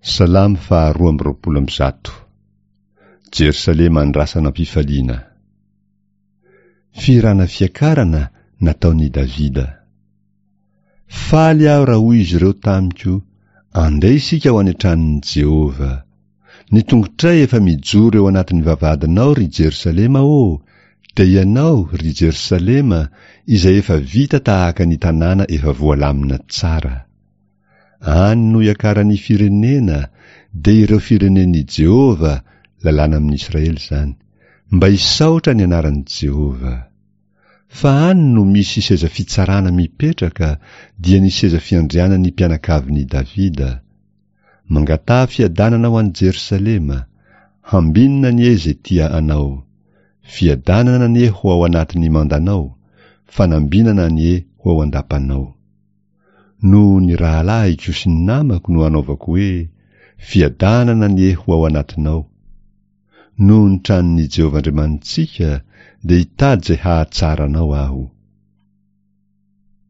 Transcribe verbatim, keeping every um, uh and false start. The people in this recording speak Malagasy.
Salamo faharoa amby roapolo amby zato. Jerosalema andrasana am-pifaliana. Fihirana fiakarana nataon'i Davida. Faly aho raha hoy izy ireo tamiko, Andeha isika ho any an-tranon'i Jehovah. Ny tongotray efa mijoro eo anatin'ny vavahadinao, ry Jerosalema ô, dia ianao, ry Jerosalema, izay efa vita tahaka ny tanàna efa voalamina tsara. Any no iakaran'ny firenena, dia ireo firenen'i Jehovah, lalàna amin'i Israely izany, mba hisaotra ny anaran'i Jehovah. Fa any no misy seza fitsarana mipetraka, dia ny seza fiandrianan'ny mpianakavin'i Davida. Mangataha fiadanana ho an'i Jerosalema, hambinina anie izay tia anao. Fiadanana anie ho ao anatin'ny mandanao, fanambinana anie ho ao an-dapanao. Noho ny rahalahiko sy ny namako no anaovako hoe, Fiadanana anie ho ao anatinao. Noho ny tranon'i Jehovah Andriamanitsika, dia hitady izay hahatsara anao aho.